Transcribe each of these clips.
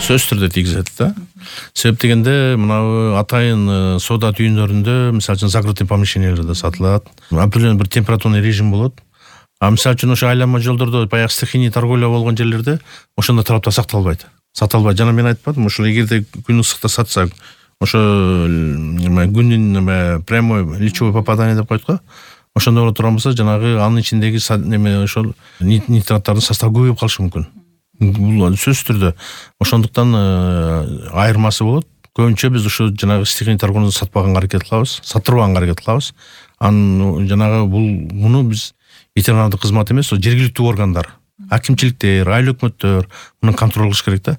сөзсүз түрдө тийгизет да. Себеп дегенде мына атайын соода түйүндөрүндө мисалы үчүн закрытый помещенияларда сатылат. Определенный бир температурный режим болот. А мисалы үчүн ошо айланма жолдордо баягы стихийный торговля болгон жерлерде ошондой талаптар сакталбайт. Жана мен айтпадым, ошо эгерде күн ысыкта сатсак, ошо күндүн прямой лучевое попадание деп коет го. Ошондой боло турган болсо, жанагы анын ичиндеги ошол нитраттардын составы көбөйүп калышы мүмкүн. Бул сөзсүз түрдө. Ошондуктан айырмасы болот. Көбүнчө биз ушу жанагы стихийный торговльну сатпаганга аракет кылабыз, саттырбаганга аракет кылабыз. Анын жанагы муну биз ветеринардык кызмат эмес, жергиликтүү органдар, акимчиликтер, айыл өкмөттөр муну контроль кылыш керек да.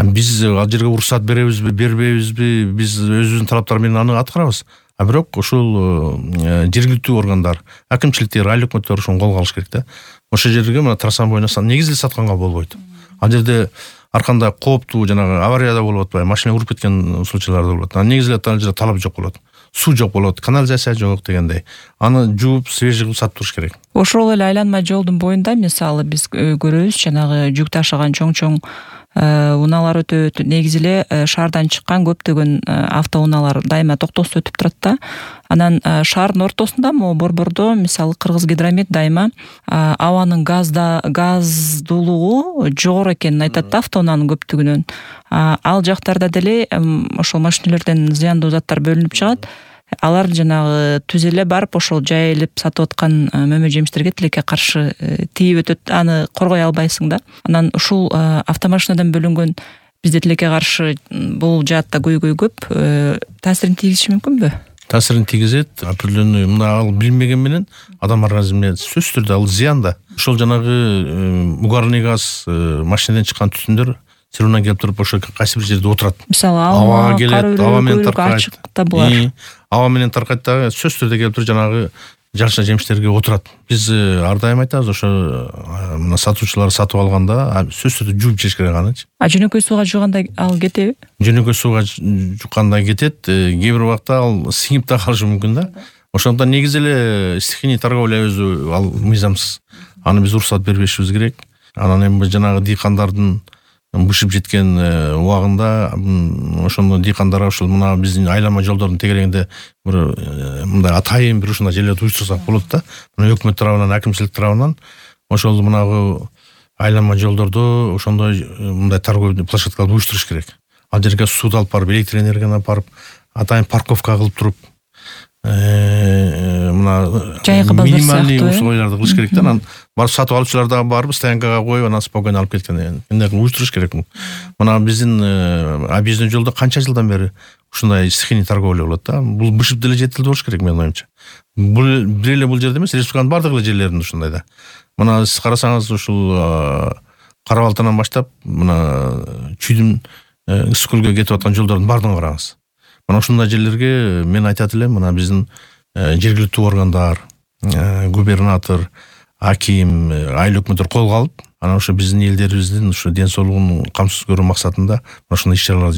Биз ал жерге уруксат беребизби, бербейбизби, биз өзүбүздүн талаптар менен аны аткарабыз. А бирок ушул жергиликтүү органдар, акимчиликтер, айыл өкмөттөр ошону колго алыш керек да. Ошол жерге мына трасса боюна негизи сатканга болбойт. Ал жерде ар кандай кооптуу жанагы аварияда болуп атпайбы, машина уруп кеткен случайлар да болот. Негизелеп ал жерде талап жок болот. Суу жок болот, канализация жок дегендей. Аны жууп, свежий кылып сатып туруш керек. Ошол эле айланма жолдун боюнда мисалы биз көрөбүз, жанагы жүк ташыган чоң унаалар өтөт. Негизи эле шаардан чыккан көптөгөн автоунаалар дайыма токтоосуз өтүп турат да. Анан шаардын ортосунда могу борбордо мисалы Кыргызгидромет дайыма абанын газдуулугу жогору экенин айтат да автоунаанын көптүгүнөн. Ал жактарда деле ошол машинелерден зыяндуу заттар бөлүнүп чыгат. Алар жанагы түз эле барып ошол жайылып сатып аткан мөмө жемиштерге тилекке каршы тийип өтөт. Аны коргой албайсың да. Анан ушул автомашинадан бөлүнгөн бизде тилекке каршы бул жаатта көйгөй көп. Таасирин тийгизиши мүмкүнбү? Таасирин тийгизет. Определенный мына ал билмеген менен адам организмине сөзсүз түрдө ал зыян да. Ошол жанагы угарный газ, машинадан чыккан түтүндөр сируна келип туруп ошо кайсы бир жерде отурат. Мисалы аба келет, аба менен таркайт. Аба менен таркайт дагы сөзсүз түрдө келип туруп жанагы жашыл жемиштерге отурат. Биз ар дайым айтабыз, ошо мына сатуучулар сатып алганда сөзсүз түрдө жууп жеш керек анычы. Жөнөкөй сууга жууганда ал кетеби? Жөнөкөй сууга жукканда кетет. Кээ бир убакта ал сиңип да калышы мүмкүн да. Ошондон негизи эле стихийный торговля өзү ал мыйзамсыз. Аны биз уруксат бербешибиз керек. Анан эми жанагы дыйкандардын бышып жеткен убагында ошондо дыйкандарга ушул мына биздин айланма жолдордун тегерегинде бир мындай атайын бир ушундай жерлерди уюштурсак болот да. Мына өкмөт тарабынан, акимчилик тарабынан ошол мынагы айланма жолдордо ошондой мындай торговый площадкаларды уюштуруш керек. Ал жерге сууду алып барып, электр энергияны алып барып, атайын парковка кылып туруп мына минимальный условияларды кылыш керек да. Анан барып сатып алуучулар дагы барып стоянкага коюп, анан спокойно алып кеткен. Мындай кылып уюштуруш керек. Мына биздин объездной жолдо канча жылдан бери ушундай стихийный торговля болот да. Бул бышып деле жетилди болуш керек менин оюмча. Бир эле бул жерде эмес, республиканын бардык эле жерлеринде ушундай да. Мына сиз карасаңыз ушул Кара-Балтадан баштап мына Чүйдүн Ысык-Көлгө кетип аткан жолдордун баардыгын караңыз. Мына ушундай жерлерге мен айтат элем, мына биздин жергиликтүү органдар, губернатор, аким, айыл өкмөттөр колго алып, анан ошо биздин элдерибиздин ушу ден соолугун камсыз көрүү максатында ушундай иш-чаралар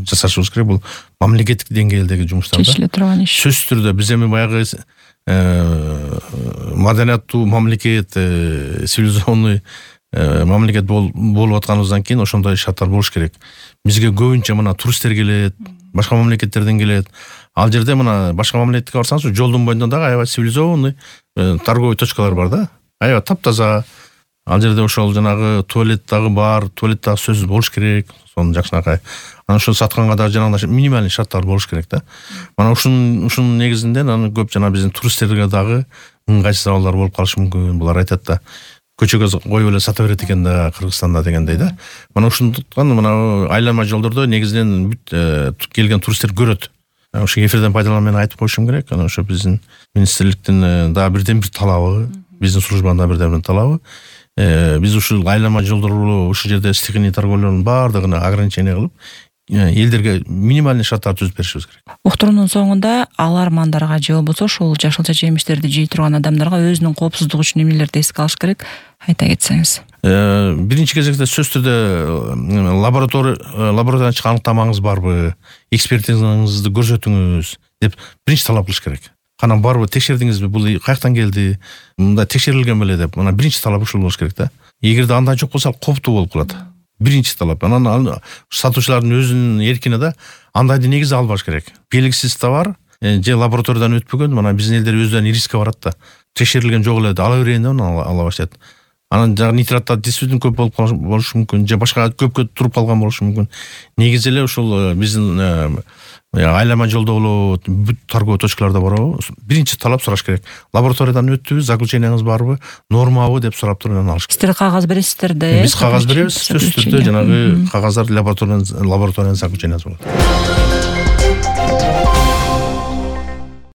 жасашыбыз керек. Бул мамлекеттик деңгээлдеги жумуштар да. Чечиле турган иш. Сөзсүз түрдө биз эми баягы маданияттуу мамлекет, цивилизационный мамлекет болуп атканыбыздан кийин ошондой шарттар болуш керек. Бизге көбүнчө мына туристтер келет, башка мамлекеттерден келет. Ал жерде мына башка мамлекетке барсаңыз, жолдун боюнда дагы аябай цивилизованный торговый точкалар бар да. Аябай таптаза. Ал жерде ошол жанагы туалет дагы бар, туалет дагы сөзсүз болуш керек. Сонун жакшынакай. Анан ошол сатканга дагы жанагындай минимальный шарттар болуш керек да. Мана ушунун негизинде анан көп жана биздин туристтерге дагы ыңгайсыз абалдар болуп калышы мүмкүн. Булар айтат да, көчөгө коюп эле сата берет экен да Кыргызстанда дегендей да. Мана ушундуктан мына айланма жолдордо негизинен келген туристтер көрөт. Ошо эфирден пайдаланып мен айтып коюшум керек. Анан ошо биздин министрликтин дагы бирден бир талабы, биздин службанын дагы бирден бир талабы. Биз ушул айланма жолдору ушул жерде стихийный торговлянын баардыгына ограничение кылып, элдерге минимальный шарттар түзүп беришибиз керек. Уктуруунун соңунда алармандарга же болбосо ушул жашылча жемиштерди жей турган адамдарга өзүнүн коопсуздугу үчүн эмнелерди эске алыш керек? Айта кетсеңиз. Биринчи кезекте сөзсүз түрдө лабораториядан чыккан аныктамаңыз барбы, экспертизаңызды көрсөтүңүз деп биринчи талап кылыш керек. Кана барбы, текшердиңизби, бул каяктан келди, мындай текшерилген беле деп. Мына биринчи талап ушул болуш керек да. Эгерде андай жок болсо, кооптуу болуп калат. биринчи талап. Анан сатуучулардын өзүнүн эркине да андайды негизи албаш керек. Белгисиз товар же лабораториядан өтпөгөн, мына биздин элдер өздөрүнүн рискке барат да. Текшерилген жок эле ала берейин деп ала баштайт. Анан жагы нитраттар действительно көп болушу мүмкүн, же башка көпкө туруп калган болушу мүмкүн. Негизи эле ушул биздин айлама жолдо болобу, бүт торговый точкаларда барабы, биринчи талап сураш керек. Лабораториядан өттүбү, заключениеңиз барбы, нормабы деп сурап туруп анан алыш керек. Сиздер кагаз бересиздер да? Биз кагаз беребиз, сөзсүз түрдө жанагы кагаздар лабораториядан заключениеңиз болот.